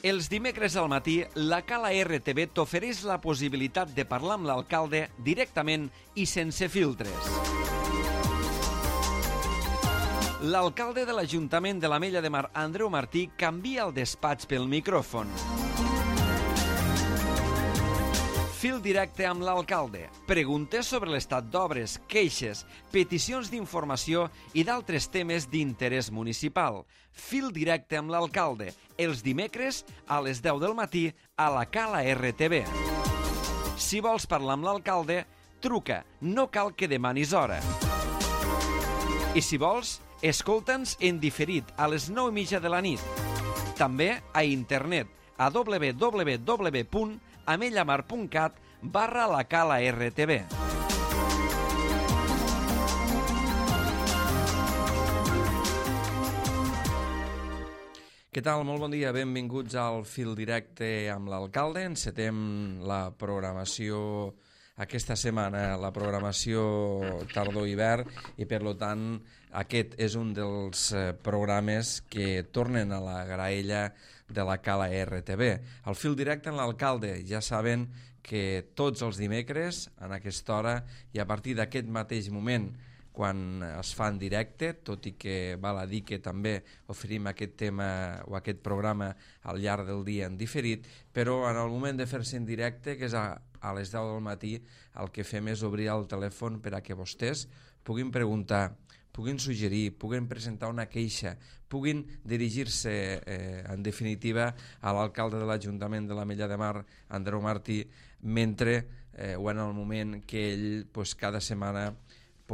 Els dimecres al matí, la Cala RTV t'ofereix la possibilitat de parlar amb l'alcalde directament i sense filtres. L'alcalde de l'Ajuntament de l'Ametlla de Mar, Andreu Martí, canvia el despatx pel micròfon. Fil directe amb l'alcalde. Preguntes sobre l'estat d'obres, queixes, peticions d'informació i d'altres temes d'interès municipal. Fil directe amb l'alcalde. Els dimecres a les 10 del matí a la Cala RTV. Si vols parlar amb l'alcalde, truca. No cal que demanis hora. I si vols, escolta'ns en diferit a les 9:30 de la nit. També a internet a www.amellamar.cat/la Cala RTV. Què tal? Molt bon dia. Benvinguts al Fil Directe amb l'alcalde. Encetem la programació aquesta setmana, la programació tardor-hivern, i per tant aquest és un dels programes que tornen a la graella de la Cala RTV. El Fil Directe amb l'alcalde, ja saben que tots els dimecres en aquesta hora i a partir d'aquest mateix moment quan es fa en directe, tot i que val a dir que també oferim aquest tema o aquest programa al llarg del dia en diferit, però en el moment de fer-se en directe, que és a les 10 del matí, el que fem és obrir el telèfon per a que vostès puguin preguntar, puguin suggerir, puguin presentar una queixa, puguin dirigir-se, en definitiva, a l'alcalde de l'Ajuntament de l'Ametlla de Mar, Andreu Martí, mentre o en el moment que ell cada setmana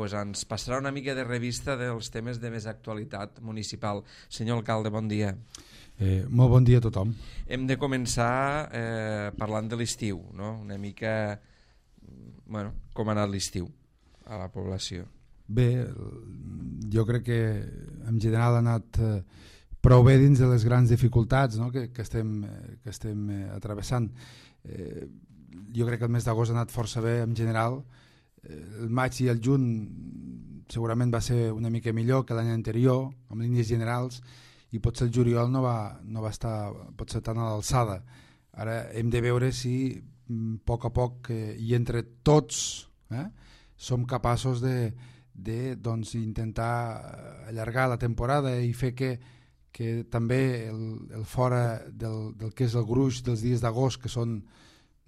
ens passarà una mica de revista dels temes de més actualitat municipal. Senyor alcalde, bon dia. Molt bon dia a tothom. Hem de començar parlant de l'estiu, no? Una mica, com ha anat l'estiu a la població. Bé, jo crec que en general ha anat prou bé dins de les grans dificultats, no? que estem atravessant. Jo crec que el mes d'agost ha anat força bé en general. El maig i el juny segurament va ser una mica millor que l'any anterior, amb línies generals, i potser el juliol no va estar potser tan a l'alçada. Ara hem de veure si a poc a poc i entre tots som capaços de intentar allargar la temporada i fer que també el fora del que és el gruix dels dies d'agost, que són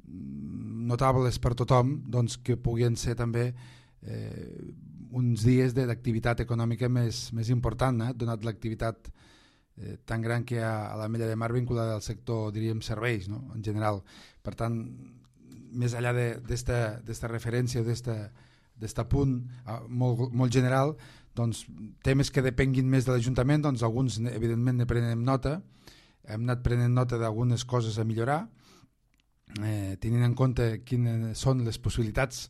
notables per tothom, doncs que puguin ser també uns dies d'activitat econòmica més important, donat l'activitat tan gran que hi ha a l'Ametlla de Mar vinculada al sector, diríem, serveis, no? En general. Per tant, més enllà d'esta referència, d'est punt molt general, doncs, temes que depenguin més de l'Ajuntament, doncs alguns evidentment ne prenem nota, hem anat prenent nota d'algunes coses a millorar, tenint en compte quines són les possibilitats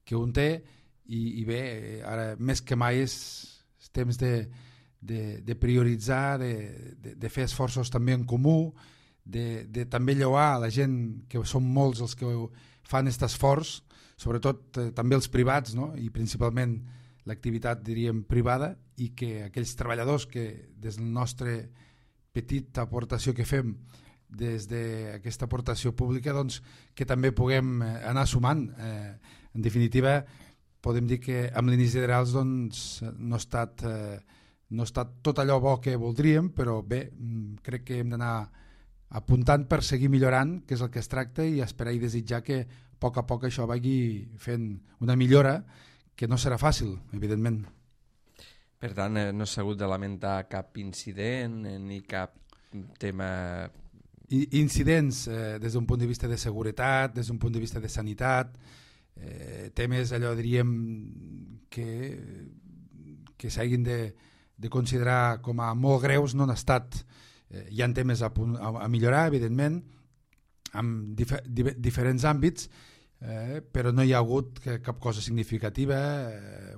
que un té, i bé, ara més que mai és temps de prioritzar, de fer esforços també en comú, de també lloar a la gent, que són molts els que fan aquest esforç, sobretot també els privats, no? I principalment l'activitat, diríem, privada, i que aquells treballadors que des de la nostra petita aportació que fem, des d'aquesta aportació pública, doncs, que també puguem anar sumant. En definitiva, podem dir que amb línies generals doncs, no ha estat tot allò bo que voldríem, però bé, crec que hem d'anar apuntant per seguir millorant, que és el que es tracta, i esperar i desitjar que a poc això vagi fent una millora, que no serà fàcil, evidentment. Per tant, no s'ha hagut de lamentar cap incident ni cap tema... Incidents des d'un punt de vista de seguretat, des d'un punt de vista de sanitat, temes, allò diríem, que s'hagin de considerar com a molt greus, no han estat. Hi ha temes a millorar, evidentment, en diferents àmbits, però no hi ha hagut cap cosa significativa.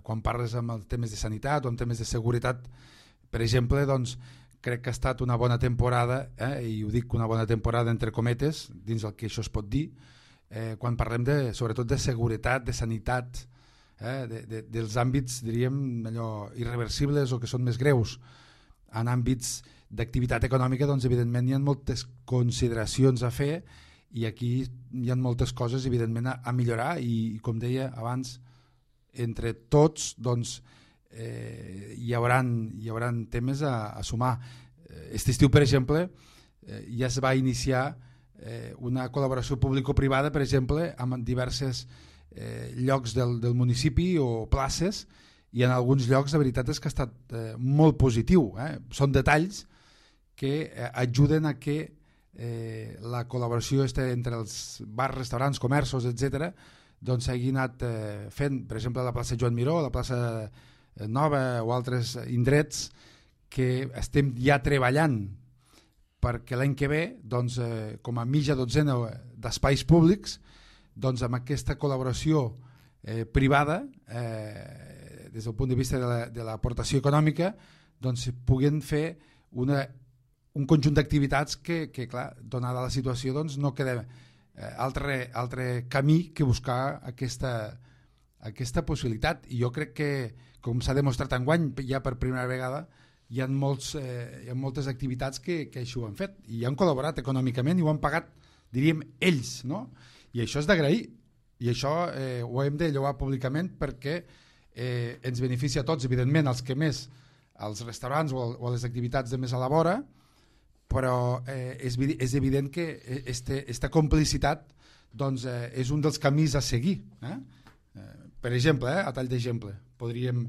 Quan parles amb els temes de sanitat o amb temes de seguretat, per exemple, doncs, crec que ha estat una bona temporada, i ho dic una bona temporada entre cometes, dins el que això es pot dir, quan parlem sobretot de seguretat, de sanitat, dels àmbits, diríem, allò irreversibles o que són més greus. en àmbits d'activitat econòmica, doncs evidentment hi ha moltes consideracions a fer i aquí hi ha moltes coses evidentment a millorar i com deia abans, entre tots doncs, hi hauran temes a sumar. Aquest estiu, per exemple, ja es va iniciar una col·laboració público-privada, per exemple, amb diversos llocs del municipi o places, i en alguns llocs la veritat és que ha estat molt positiu. Són detalls que ajuden a que la col·laboració entre els bars, restaurants, comerços, etc., doncs s'hagi anat fent, per exemple, a la plaça Joan Miró, a la plaça Nova o altres indrets que estem ja treballant perquè l'any que ve, doncs, com a mitja dotzena d'espais públics, doncs, amb aquesta col·laboració privada, des del punt de vista de l'aportació econòmica, doncs, puguin fer un conjunt d'activitats que, clar, donada la situació, doncs, no queda altre camí que buscar aquesta possibilitat. I jo crec que, com s'ha demostrat enguany, ja per primera vegada, hi ha moltes activitats que així ho han fet i han col·laborat econòmicament i ho han pagat, diríem, ells, no? I això és d'agrair i això ho hem de lloar públicament perquè ens beneficia a tots, evidentment, els que més, als restaurants o a les activitats de més a la vora, però és evident que aquesta complicitat doncs, és un dels camins a seguir. Per exemple, a tall d'exemple, podríem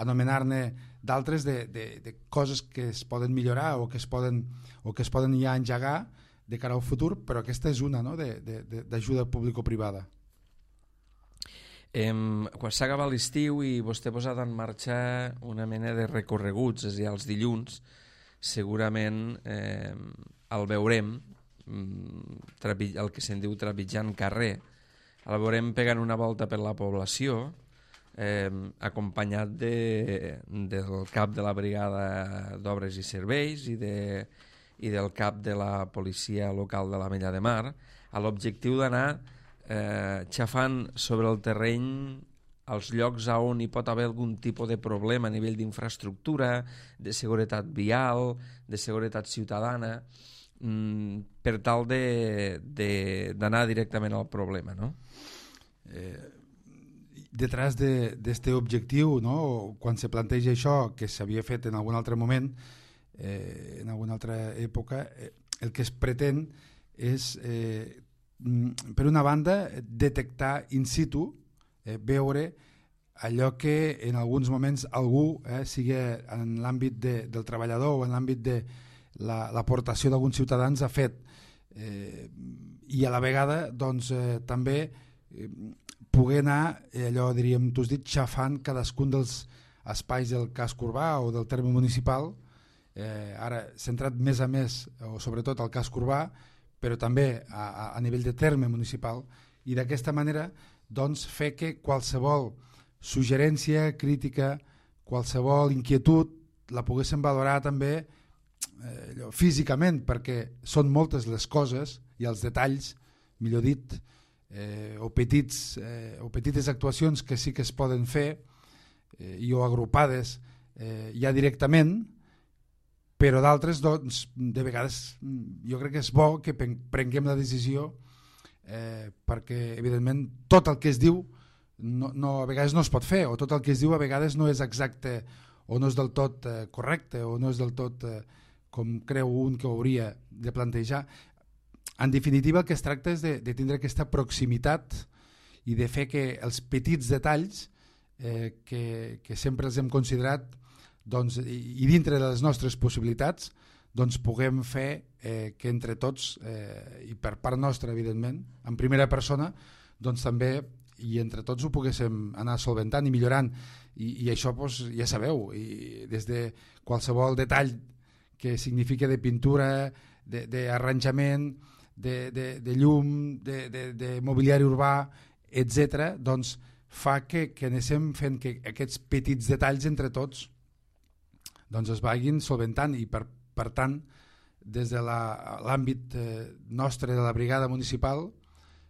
anomenar-ne d'altres de coses que es poden millorar o que es poden ja engegar de cara al futur, però aquesta és una, no?, d'ajuda público-privada. Quan s'acaba l'estiu i vostè ha posat en marxa una mena de recorreguts, és a dir, els dilluns, segurament el veurem, el que se'n diu trepitjant carrer, el veurem pegant una volta per la població, acompanyat del cap de la brigada d'obres i serveis i del cap de la policia local de l'Ametlla de Mar, a l'objectiu d'anar xafant sobre el terreny als llocs on hi pot haver algun tipus de problema a nivell d'infraestructura, de seguretat vial, de seguretat ciutadana, per tal d'anar directament al problema, no? Detrás d'este objectiu, no, quan se planteja això, que s'havia fet en algun altre moment, en alguna altra època, el que es pretén és, per una banda, detectar in situ, veure allò que en alguns moments algú, sigui en l'àmbit del treballador o en l'àmbit de l'aportació d'alguns ciutadans ha fet, i a la vegada doncs, també poder anar, allò diríem, tu has dit, xafant cadascun dels espais del casc urbà o del terme municipal, ara centrat més a més, o sobretot al casc urbà, però també a nivell de terme municipal, i d'aquesta manera doncs, fer que qualsevol suggerència, crítica, qualsevol inquietud la poguéssim valorar també físicament, perquè són moltes les coses i els detalls, millor dit, o petites actuacions que sí que es poden fer i o agrupades ja directament, però d'altres doncs, de vegades jo crec que és bo que prenguem la decisió perquè evidentment tot el que es diu a vegades no es pot fer, o tot el que es diu a vegades no és exacte o no és del tot correcte o no és del tot com creu un que ho hauria de plantejar. En definitiva, el que es tracta és de tindre aquesta proximitat i de fer que els petits detalls que sempre els hem considerat doncs, i dintre de les nostres possibilitats doncs, puguem fer que entre tots i per part nostra evidentment, en primera persona doncs, també i entre tots ho poguéssim anar solventant i millorant i això doncs, ja sabeu, i des de qualsevol detall que significa de pintura, d'arranjament, de llum, de mobiliari urbà, etc., doncs fa que anem fent que aquests petits detalls entre tots doncs es vagin solventant i per tant des de l'àmbit nostre de la brigada municipal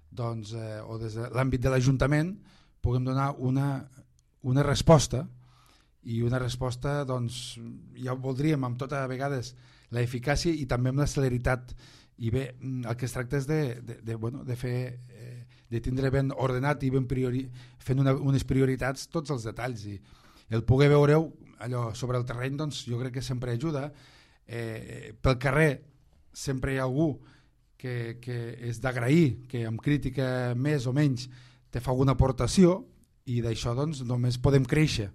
doncs, o des de l'àmbit de l'Ajuntament puguem donar una resposta i una resposta, doncs, ja voldríem amb tota a vegades l'eficàcia i també amb la celeritat. I bé, el que es tracta és de fer, de tindre ben ordenat i ben fent unes prioritats tots els detalls, i el poder veure-ho allò sobre el terreny, doncs jo crec que sempre ajuda. Pel carrer sempre hi ha algú que és d'agrair, que amb crítica més o menys te fa alguna aportació, i d'això doncs només podem créixer,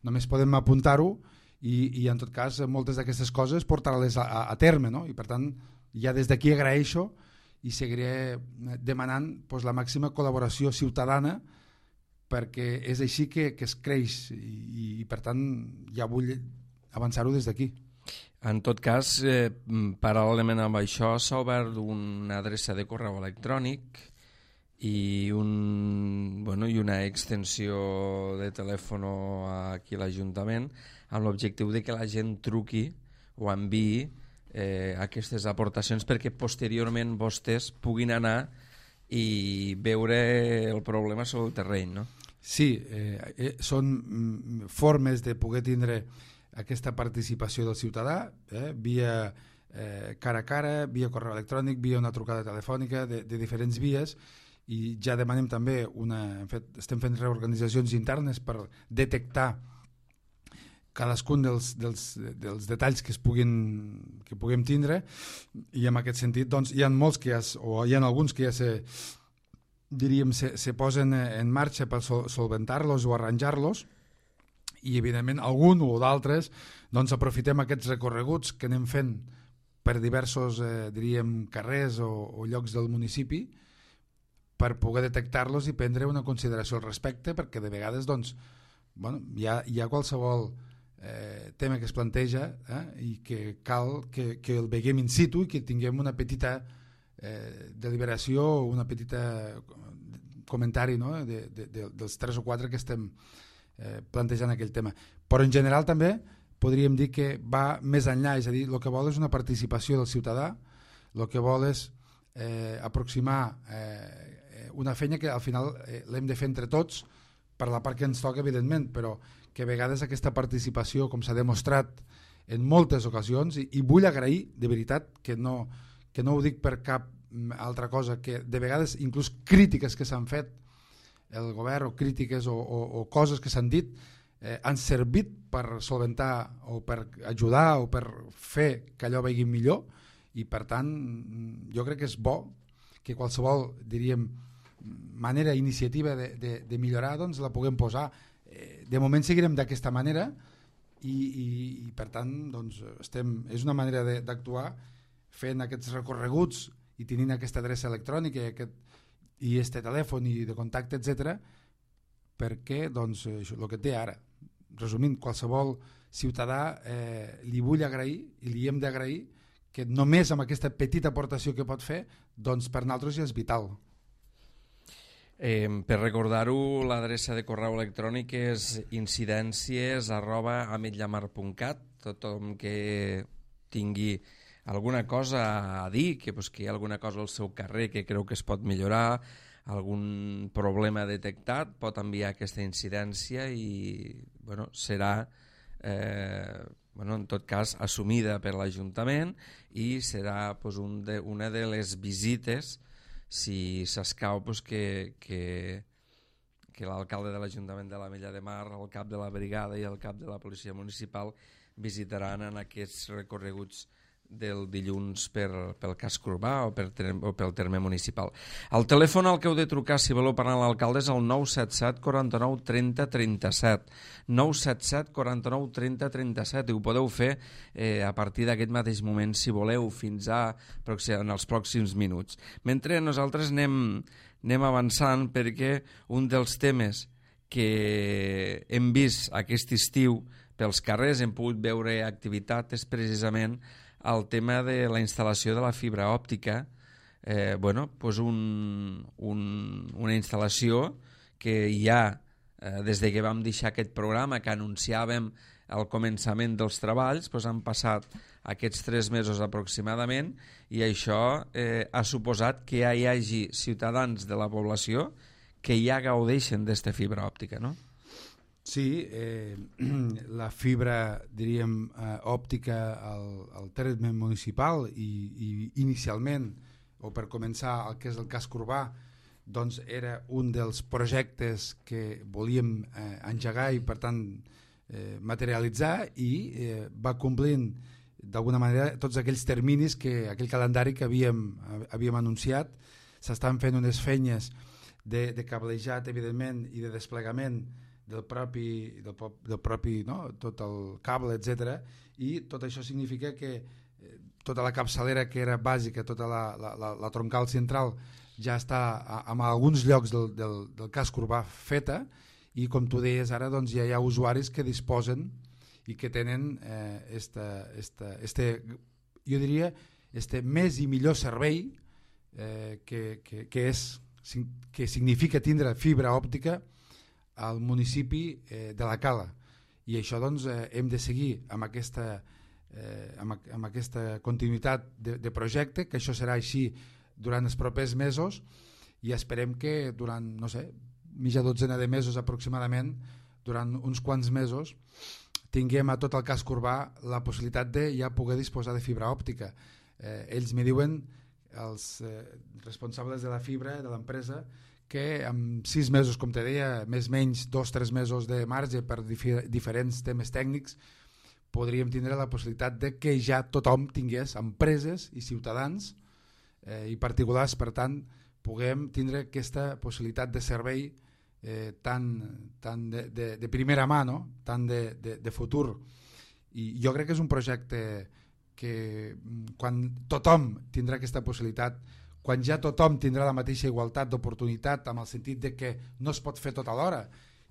només podem apuntar-ho i en tot cas moltes d'aquestes coses portar-les a terme, no? I per tant ja des d'aquí agraeixo i seguiré demanant doncs, la màxima col·laboració ciutadana, perquè és així que es creix, i per tant ja vull avançar-ho des d'aquí. En tot cas, paral·lelament amb això, s'ha obert una adreça de correu electrònic i una extensió de telèfon aquí a l'Ajuntament, amb l'objectiu de que la gent truqui o enviï aquestes aportacions perquè posteriorment vostès puguin anar i veure el problema sobre el terreny, no? Sí, són formes de poder tindre aquesta participació del ciutadà, via cara a cara, via correu electrònic, via una trucada telefònica, de diferents vies, i ja demanem també estem fent reorganitzacions internes per detectar cadascun dels detalls que puguem tindre, i en aquest sentit doncs, hi ha molts hi ha alguns que ja se posen en marxa per solventar-los o arranjar-los, i evidentment algun o d'altres doncs aprofitem aquests recorreguts que anem fent per diversos carrers o llocs del municipi per poder detectar-los i prendre una consideració al respecte, perquè de vegades doncs, hi ha qualsevol tema que es planteja i que cal que el veiem in situ i que tinguem una petita deliberació o una petita comentari, no? dels 3 o 4 que estem plantejant aquell tema. Però en general també podríem dir que va més enllà, és a dir, el que vol és una participació del ciutadà, el que vol és aproximar una feina que al final l'hem de fer entre tots per la part que ens toca, evidentment, però que a vegades aquesta participació, com s'ha demostrat en moltes ocasions, i vull agrair de veritat que no ho dic per cap altra cosa, que de vegades inclús crítiques que s'han fet el govern o crítiques o coses que s'han dit han servit per solventar o per ajudar o per fer que allò vagi millor, i per tant jo crec que és bo que qualsevol, diríem, manera, iniciativa de millorar doncs la puguem posar. De moment seguirem d'aquesta manera i per tant doncs, és una manera d'actuar fent aquests recorreguts i tenint aquesta adreça electrònica i este telèfon i de contacte, etc. perquè doncs, el que té ara, resumint, qualsevol ciutadà li vull agrair i li hem d'agrair que només amb aquesta petita aportació que pot fer, doncs per nosaltres ja és vital. Per recordar-ho, l'adreça de correu electrònic és incidències@ametllamar.cat. Tothom que tingui alguna cosa a dir, que hi ha alguna cosa al seu carrer que creu que es pot millorar, algun problema detectat, pot enviar aquesta incidència i serà en tot cas assumida per l'Ajuntament i serà una de les visites, si s'escau, que l'alcalde de l'Ajuntament de l'Ametlla de Mar, el cap de la brigada i el cap de la policia municipal visitaran en aquests recorreguts del dilluns pel casc urbà o pel terme municipal. El telèfon al que heu de trucar si voleu parlar amb l'alcalde és el 977 49 30 37, 977 49 30 37, i ho podeu fer a partir d'aquest mateix moment si voleu, fins en els pròxims minuts. Mentre nosaltres anem avançant, perquè un dels temes que hem vist aquest estiu pels carrers, hem pogut veure activitat, és precisament el tema de la instal·lació de la fibra òptica, una instal·lació que ja, des que vam deixar aquest programa que anunciàvem al començament dels treballs, han passat aquests 3 mesos aproximadament, i això ha suposat que ja hi hagi ciutadans de la població que ja gaudeixen d'esta fibra òptica, no? Sí, la fibra, diríem, òptica al terme municipal i inicialment, o per començar el que és el casc urbà, doncs era un dels projectes que volíem engegar i per tant materialitzar i va complint d'alguna manera tots aquells terminis, aquell calendari que havíem anunciat. S'estan fent unes feines de cablejat, evidentment, i de desplegament del propi tot el cable, etc. I tot això significa que tota la capçalera que era bàsica, tota la troncal central ja està en alguns llocs del casc urbà feta, i com tu deies ara, doncs ja hi ha usuaris que disposen i que tenen jo diria més i millor servei que significa tindre fibra òptica al municipi de la Cala. I això doncs hem de seguir amb aquesta continuïtat de projecte, que això serà així durant els propers mesos, i esperem que durant, no sé, mitja dotzena de mesos aproximadament, durant uns quants mesos, tinguem a tot el casc urbà la possibilitat de ja poder disposar de fibra òptica. Ells me diuen, els responsables de la fibra, de l'empresa, que en 6 mesos, com te deia, més o menys 2-3 mesos de marge per diferents temes tècnics, podríem tindre la possibilitat de que ja tothom tingués, empreses i ciutadans i particulars, per tant, puguem tindre aquesta possibilitat de servei tan de primera mà, no? Tan de futur. I jo crec que és un projecte que quan tothom tindrà aquesta possibilitat, quan ja tothom tindrà la mateixa igualtat d'oportunitat, amb el sentit de que no es pot fer tot alhora,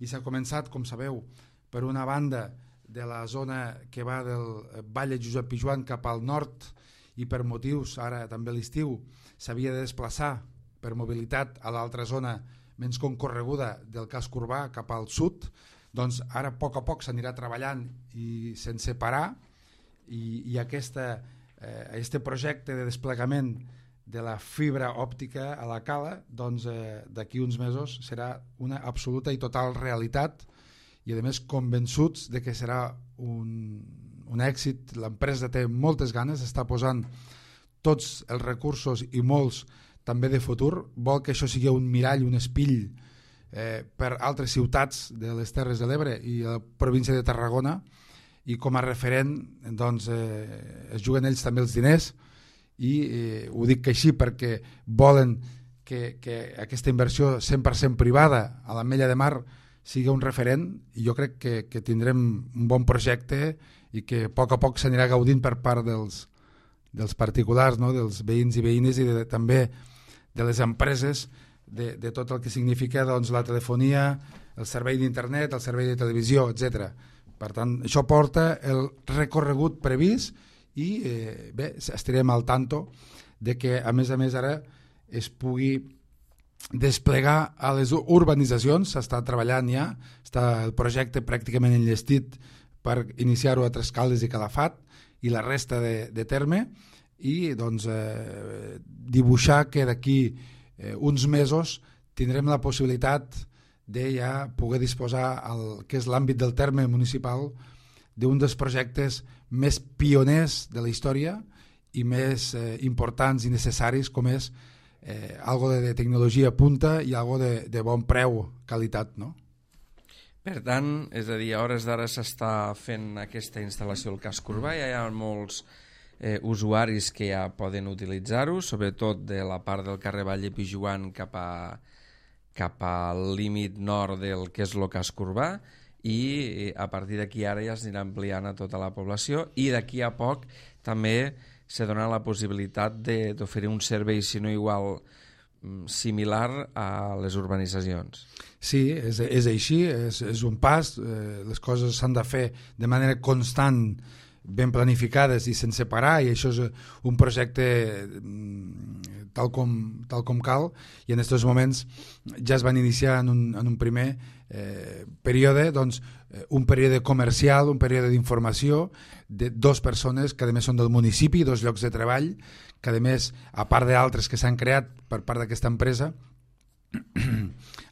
i s'ha començat, com sabeu, per una banda de la zona que va del Vall de Josep Pijoan cap al nord, i per motius, ara també a l'estiu, s'havia de desplaçar per mobilitat a l'altra zona menys concorreguda del casc urbà cap al sud, doncs ara a poc s'anirà treballant i sense parar, i aquest projecte de desplegament de la fibra òptica a la Cala, doncs d'aquí uns mesos serà una absoluta i total realitat, i a més convençuts de que serà un èxit. L'empresa té moltes ganes, està posant tots els recursos i molts també de futur, vol que això sigui un mirall, un espill per altres ciutats de les Terres de l'Ebre i la província de Tarragona, i com a referent doncs, es juguen ells també els diners, i ho dic que així perquè volen que aquesta inversió 100% privada a l'Ametlla de Mar sigui un referent, i jo crec que tindrem un bon projecte i que a poc s'anirà gaudint per part dels particulars, no? Dels veïns i veïnes, i també de les empreses, de tot el que significa doncs, la telefonia, el servei d'internet, el servei de televisió, etc. Per tant, això porta el recorregut previst, i bé, estarem al tanto de que a més ara es pugui desplegar a les urbanitzacions. S'està treballant ja, està el projecte pràcticament enllestit per iniciar-ho a Trescaldes i Calafat i la resta de terme, i doncs dibuixar que d'aquí uns mesos tindrem la possibilitat de ja poder disposar al que és l'àmbit del terme municipal d'un dels projectes més pioners de la història i més importants i necessaris, com és algo de tecnologia punta i algo de bon preu, qualitat, no? Per tant, és a dir, a hores d'ara s'està fent aquesta instal·lació al casc urbà, ja hi ha molts usuaris que ja poden utilitzar-ho, sobretot de la part del carrer Vall de Pijoan cap al límit nord del que és el casc urbà, i a partir d'aquí ara ja s'anirà ampliant a tota la població, i d'aquí a poc també se dona la possibilitat d'oferir un servei, si no igual, similar a les urbanitzacions. Sí, és així, és un pas, les coses s'han de fer de manera constant, ben planificades i sense parar, i això és un projecte tal com cal, i en aquests moments ja es van iniciar en un primer període, doncs, un període comercial, un període d'informació de 2 persones que a més són del municipi, 2 llocs de treball, que a més, a part d'altres que s'han creat per part d'aquesta empresa,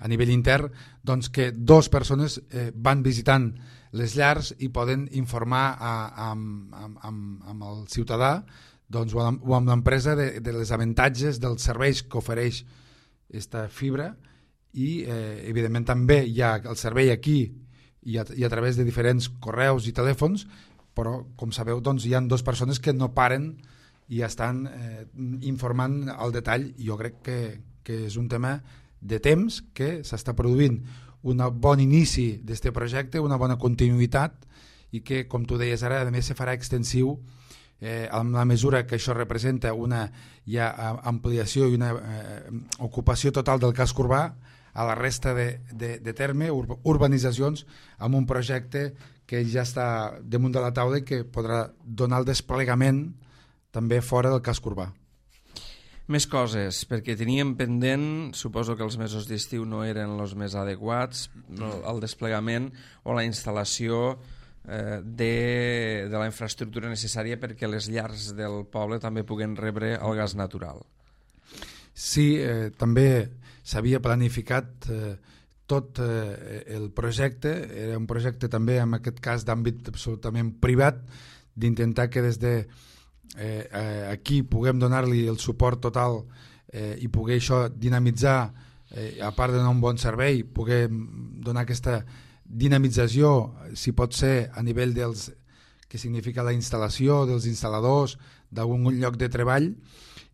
a nivell intern, doncs que dues persones van visitant les llars i poden informar amb el ciutadà doncs, o amb l'empresa de les avantatges dels serveis que ofereix aquesta fibra i evidentment també hi ha el servei aquí i a través de diferents correus i telèfons, però com sabeu doncs, hi ha dues persones que no paren i estan informant al detall. Jo crec que és un tema de temps que s'està produint un bon inici d'aquest projecte, una bona continuïtat i que, com tu deies ara, a més se farà extensiu amb la mesura que això representa una ampliació i una ocupació total del casc urbà a la resta de terme, urbanitzacions, amb un projecte que ja està damunt de la taula i que podrà donar el desplegament també fora del casc urbà. Més coses, perquè teníem pendent, suposo que els mesos d'estiu no eren els més adequats, el desplegament o la instal·lació de la infraestructura necessària perquè les llars del poble també puguen rebre el gas natural. Sí, també s'havia planificat tot el projecte, era un projecte també en aquest cas d'àmbit absolutament privat, d'intentar que des de aquí puguem donar-li el suport total i poder això dinamitzar, a part de donar un bon servei, poder donar aquesta dinamització, si pot ser a nivell dels que significa la instal·lació dels instal·ladors, d'algun lloc de treball,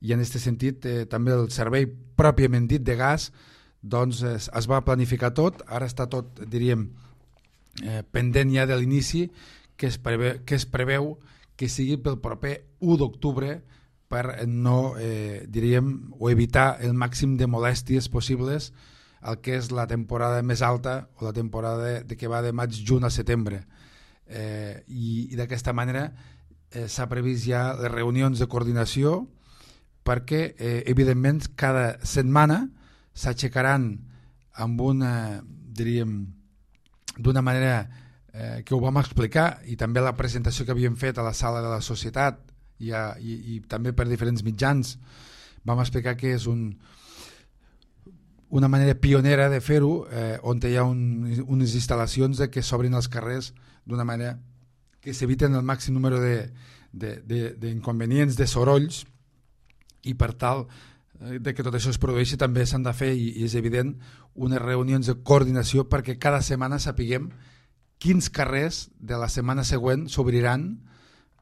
i en aquest sentit també el servei pròpiament dit de gas doncs es va planificar tot, ara està tot, diríem, pendent ja de l'inici, que es preveu que sigui pel proper 1 d'octubre per no, diríem, o evitar el màxim de molèsties possibles el que és la temporada més alta o la temporada que va de maig-juny a setembre. I d'aquesta manera s'ha previst ja les reunions de coordinació perquè, evidentment, cada setmana s'aixecaran amb una, diríem, d'una manera que ho vam explicar i també la presentació que havíem fet a la sala de la societat i també per diferents mitjans vam explicar que és una manera pionera de fer-ho on hi ha unes instal·lacions que s'obrin els carrers d'una manera que s'eviten el màxim número d'inconvenients, de sorolls i per tal de que tot això es produeixi també s'han de fer i és evident unes reunions de coordinació perquè cada setmana sapiguem quins carrers de la setmana següent s'obriran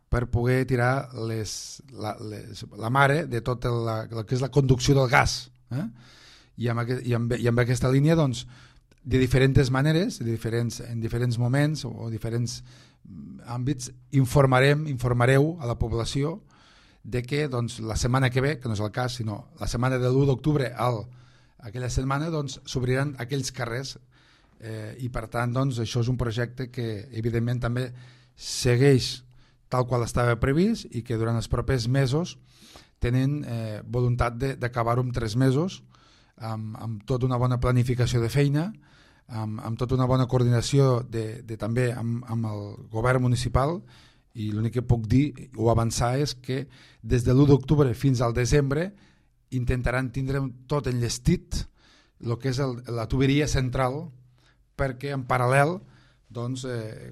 per poder tirar la mare de tot el que és la conducció del gas. I amb aquesta línia, doncs, de diferents maneres, en diferents moments o diferents àmbits, informareu a la població de que doncs, la setmana que ve, que no és el cas, sinó la setmana de l'1 d'octubre aquella setmana doncs, s'obriran aquells carrers i per tant doncs, això és un projecte que evidentment també segueix tal qual estava previst i que durant els propers mesos tenen voluntat d'acabar-ho en 3 mesos amb tota una bona planificació de feina, amb tota una bona coordinació també amb el govern municipal i l'únic que puc dir o avançar és que des de l'1 d'octubre fins al desembre intentaran tindre tot enllestit el que és la tuberia central perquè en paral·lel doncs,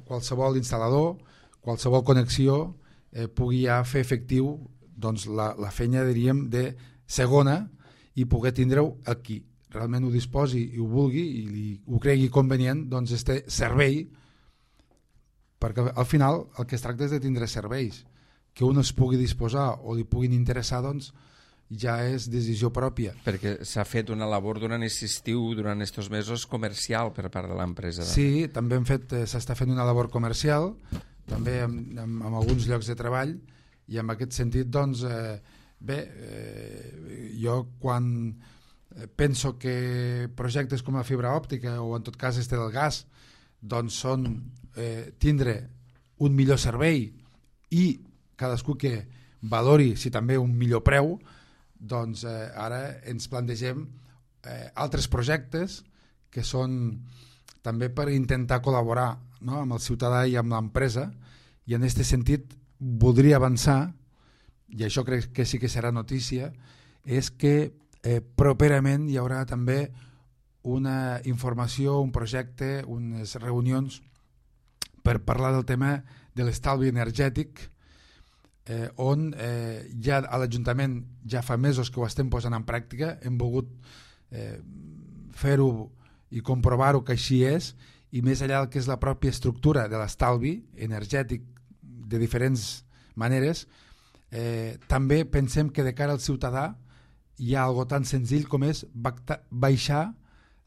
qualsevol instal·lador, qualsevol connexió pugui ja fer efectiu doncs, la feina, diríem, de segona i poder tindre-ho aquí. Realment ho disposi i ho vulgui i ho cregui convenient, doncs este servei, perquè al final el que es tracta és de tindre serveis. Que un es pugui disposar o li puguin interessar, doncs, ja és decisió pròpia. Perquè s'ha fet una labor durant aquest estiu, durant aquests mesos, comercial per part de l'empresa. Sí, també s'està fent una labor comercial, també en alguns llocs de treball, i en aquest sentit, doncs, jo quan penso que projectes com la fibra òptica o en tot cas este del gas, doncs són tindre un millor servei i cadascú que valori si també un millor preu, doncs ara ens plantegem altres projectes que són també per intentar col·laborar, no?, amb el ciutadà i amb l'empresa, i en aquest sentit voldria avançar, i això crec que sí que serà notícia, és que properament hi haurà també una informació, un projecte, unes reunions per parlar del tema de l'estalvi energètic, on ja a l'Ajuntament ja fa mesos que ho estem posant en pràctica, hem volgut fer-ho i comprovar-ho que així és, i més enllà del que és la pròpia estructura de l'estalvi energètic de diferents maneres, també pensem que de cara al ciutadà hi ha algo tan senzill com és baixar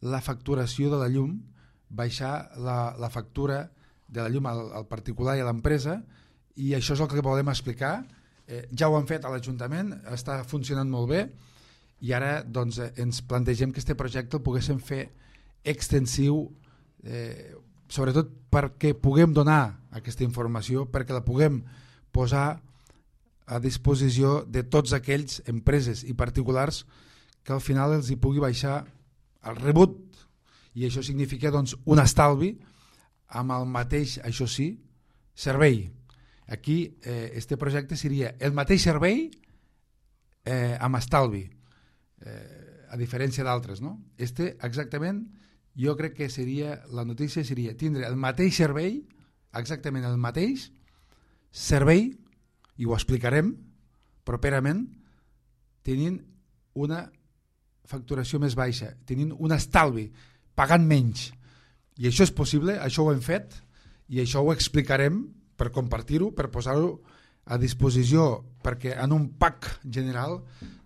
la facturació de la llum, baixar la factura de la llum al particular i a l'empresa, i això és el que volem explicar. Ja ho han fet a l'Ajuntament, està funcionant molt bé, i ara doncs, ens plantegem que aquest projecte el poguéssim fer extensiu, sobretot perquè puguem donar aquesta informació, perquè la puguem posar a disposició de tots aquells empreses i particulars que al final els hi pugui baixar el rebut, i això significa doncs, un estalvi amb el mateix, això sí, servei. Aquí este projecte seria el mateix servei amb estalvi, a diferència d'altres, no? Este exactament, jo crec que seria, la notícia seria tindre el mateix servei, exactament el mateix servei, i ho explicarem properament, tenint una facturació més baixa, tenint un estalvi, pagant menys. I això és possible, això ho hem fet, i això ho explicarem per compartir-ho, per posar-ho a disposició, perquè en un pack general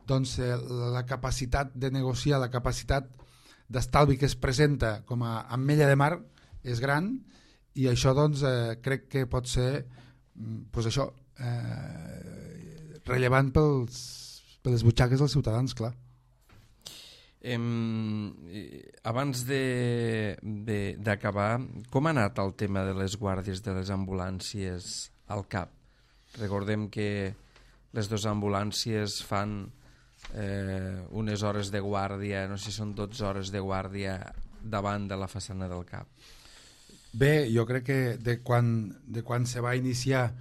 doncs, la capacitat de negociar, la capacitat d'estalvi que es presenta com a ametlla de mar és gran, i això doncs, crec que pot ser doncs això, rellevant per les butxaques dels ciutadans, clar. Abans d'acabar, com ha anat el tema de les guàrdies de les ambulàncies al CAP? Recordem que les dues ambulàncies fan unes hores de guàrdia, no sé si són 12 hores de guàrdia davant de la façana del CAP. Bé, jo crec que de quan se va iniciar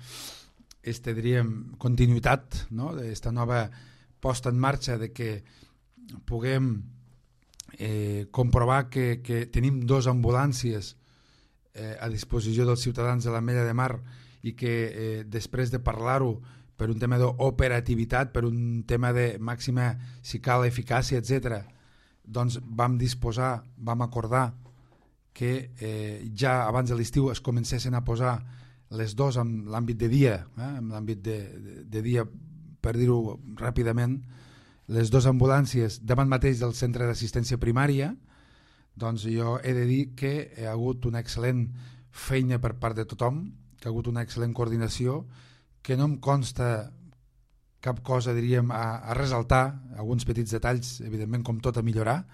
diríem, continuïtat, no? D'esta nova posta en marxa, de que puguem comprovar que tenim dues ambulàncies a disposició dels ciutadans de l'Ametlla de Mar, i que després de parlar-ho per un tema d'operativitat, per un tema de màxima, si cal, eficàcia, etc., doncs vam acordar que ja abans de l'estiu es comencessin a posar les dues en l'àmbit de dia, en l'àmbit de dia, per dir-ho ràpidament, les dues ambulàncies davant mateix del centre d'assistència primària. Doncs jo he de dir que hi ha hagut una excel·lent feina per part de tothom, que ha hagut una excel·lent coordinació, que no em consta cap cosa, diríem, a ressaltar, alguns petits detalls, evidentment, com tot, a millorar,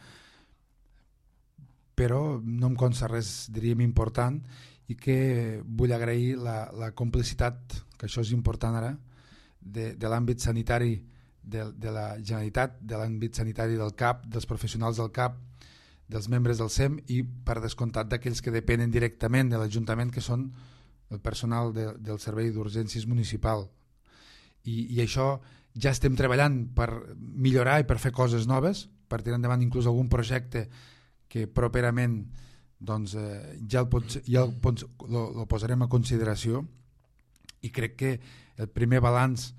però no em consta res, diríem, important, i que vull agrair la complicitat, que això és important ara, de l'àmbit sanitari de la Generalitat, de l'àmbit sanitari del CAP, dels professionals del CAP, dels membres del SEM, i per descomptat d'aquells que depenen directament de l'Ajuntament, que són el personal del Servei d'Urgències Municipal. I això ja estem treballant per millorar i per fer coses noves, per tirar endavant inclús algun projecte que properament doncs, ja el posarem a consideració, i crec que el primer balanç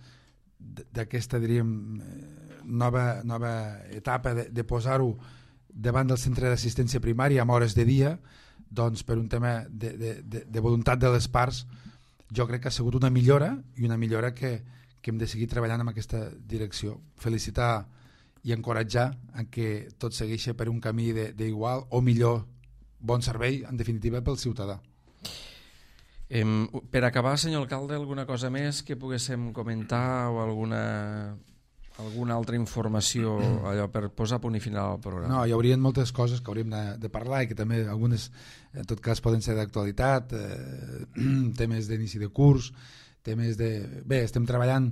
d'aquesta, diríem, nova etapa de posar-ho davant del centre d'assistència primària amb hores de dia, doncs per un tema de voluntat de les parts, jo crec que ha sigut una millora, i una millora que hem de seguir treballant en aquesta direcció. Felicitar i encoratjar a que tot segueixi per un camí d'igual o millor bon servei, en definitiva, pel ciutadà. Per acabar, senyor alcalde, alguna cosa més que poguéssim comentar o alguna altra informació, allò per posar punt i final al programa? No, hi haurien moltes coses que hauríem de parlar, i que també algunes, en tot cas, poden ser d'actualitat, temes d'inici de curs, temes de... Bé, estem treballant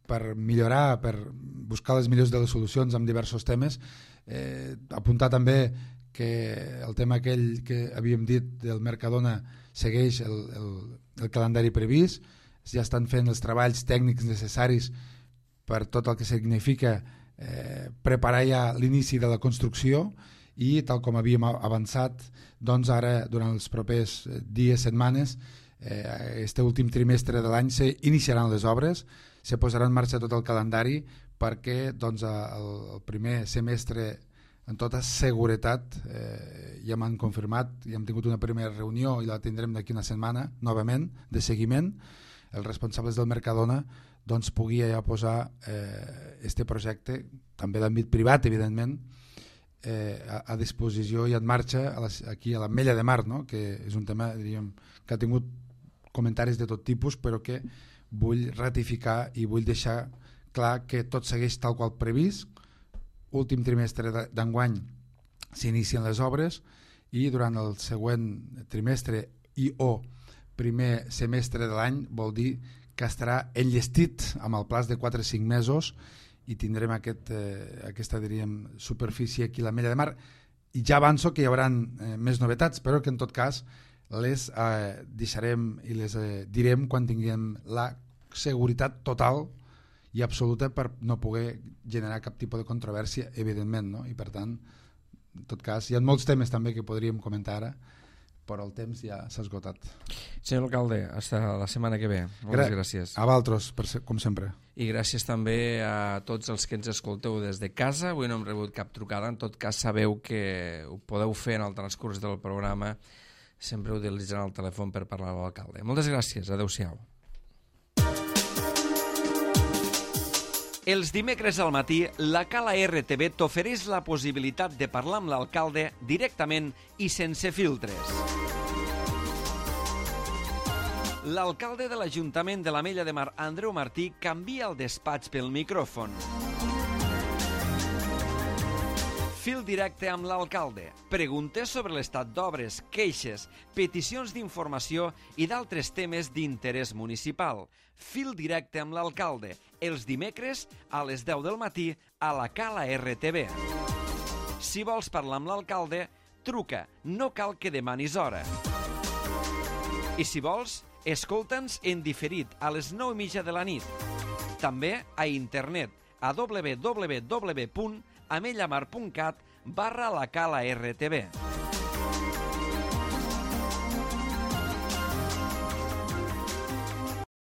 per millorar, per buscar les millors de les solucions amb diversos temes. Apuntar també que el tema aquell que havíem dit del Mercadona segueix el calendari previst, ja estan fent els treballs tècnics necessaris per tot el que significa preparar ja l'inici de la construcció, i tal com havíem avançat, doncs ara durant els propers dies, setmanes, este últim trimestre de l'any s'iniciaran les obres, se posarà en marxa tot el calendari perquè doncs, el primer semestre en tota seguretat ja m'han confirmat, ja hem tingut una primera reunió i la tindrem d'aquí una setmana novament de seguiment. Els responsables del Mercadona doncs, pugui ja posar este projecte, també d'àmbit privat evidentment, a disposició i en marxa aquí a l'Ametlla de Mar, no? Que és un tema, diríem, que ha tingut comentaris de tot tipus, però que vull ratificar i vull deixar clar que tot segueix tal qual previst. Últim trimestre d'enguany s'inicien les obres i durant el següent trimestre i o primer semestre de l'any vol dir que estarà enllestit amb el plaç de 4 o 5 mesos i tindrem aquesta diríem, superfície aquí a l'Ametlla de Mar. I ja avanço que hi haurà més novetats, però que en tot cas les deixarem i les direm quan tinguem la seguretat total i absoluta per no poder generar cap tipus de controvèrsia, evidentment, no? I per tant, en tot cas, hi ha molts temes també que podríem comentar ara, però el temps ja s'ha esgotat. Senyor alcalde, fins la setmana que ve. Moltes gràcies. A vosaltres, com sempre. I gràcies també a tots els que ens escolteu des de casa. Avui no hem rebut cap trucada, en tot cas sabeu que ho podeu fer en el transcurs del programa, sempre utilitzant el telèfon per parlar amb l'alcalde. Moltes gràcies, adeu-siau. Els dimecres al matí, la Cala RTV t'ofereix la possibilitat de parlar amb l'alcalde directament i sense filtres. L'alcalde de l'Ajuntament de l'Ametlla de Mar, Andreu Martí, canvia el despatx pel micròfon. Fil directe amb l'alcalde. Preguntes sobre l'estat d'obres, queixes, peticions d'informació i d'altres temes d'interès municipal. Fil directe amb l'alcalde. Els dimecres a les 10 del matí a la Cala RTV. Si vols parlar amb l'alcalde, truca. No cal que demanis hora. I si vols, escolta'ns en diferit a les 9:30 de la nit. També a internet a www.amellamar.cat/la Cala RTV.